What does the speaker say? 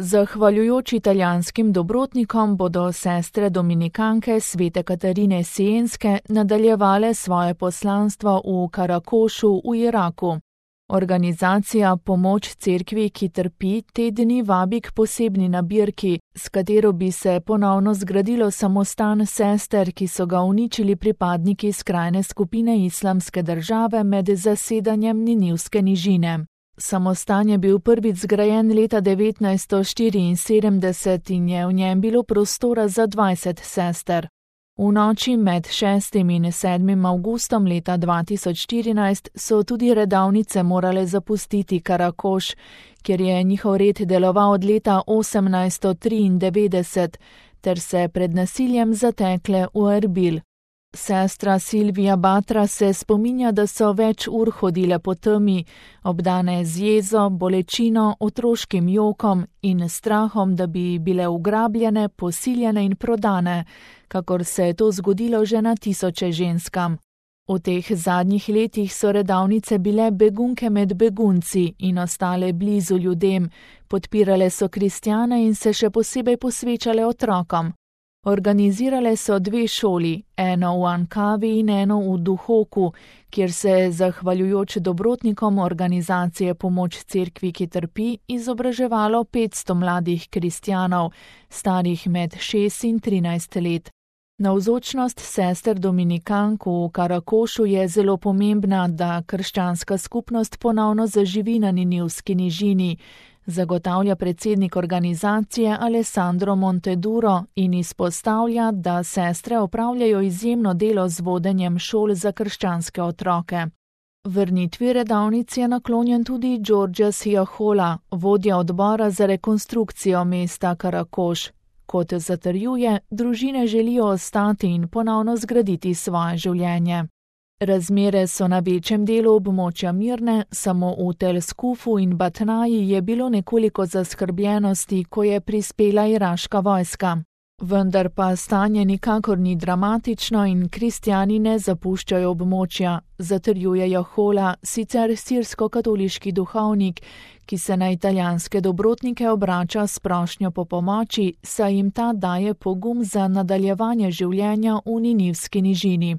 Zahvaljujoč italijanskim dobrotnikom bodo sestre dominikanke Svete Katarine Sienske nadaljevale svoje poslanstvo v Karakošu v Iraku. Organizacija Pomoč cerkvi, ki trpi, te dni vabi k posebni nabirki, s katero bi se ponovno zgradilo samostan sester, ki so ga uničili pripadniki skrajne skupine Islamske države med zasedanjem Ninivske nižine. Samostan je bil prvič zgrajen leta 1974 in je v njem bilo prostora za 20 sester. V noči med 6. in 7. avgustom leta 2014 so tudi redavnice morale zapustiti Karakoš, kjer je njihov red deloval od leta 1893, ter se pred nasiljem zatekle v Erbil. Sestra Silvija Batra se spominja, da so več ur hodile po temi, obdane z jezo, bolečino, otroškim jokom in strahom, da bi bile ugrabljene, posiljene in prodane, kakor se je to zgodilo že na tisoče ženskam. V teh zadnjih letih so redavnice bile begunke med begunci in ostale blizu ljudem, podpirale so kristjane in se še posebej posvečale otrokom. Organizirale so 2 šoli, eno v Ankavi in eno v Duhoku, kjer se je zahvaljujoč dobrotnikom organizacije Pomoč cerkvi, ki trpi, izobraževalo 500 mladih kristjanov, starih med 6 in 13 let. Navzočnost sester dominikank v Karakošu je zelo pomembna, da krščanska skupnost ponovno zaživi na Ninivski nižini, zagotavlja predsednik organizacije Alessandro Monteduro in izpostavlja, da sestre opravljajo izjemno delo z vodenjem šol za krščanske otroke. Vrnitvi redavnic je naklonjen tudi Giorgio Siahola, vodja odbora za rekonstrukcijo mesta Karakoš. Kot zatrjuje, družine želijo ostati in ponovno zgraditi svoje življenje. Razmere so na večjem delu območja mirne, samo v Tel Skufu in Batnaji je bilo nekoliko zaskrbljenosti, ko je prispela iraška vojska. Vendar pa stanje nikakor ni dramatično in kristjani ne zapuščajo območja, zatrjuje Jahola, sicer sirsko-katoliški duhovnik, ki se na italijanske dobrotnike obrača s prošnjo po pomoči, saj jim ta daje pogum za nadaljevanje življenja v Ninivski nižini.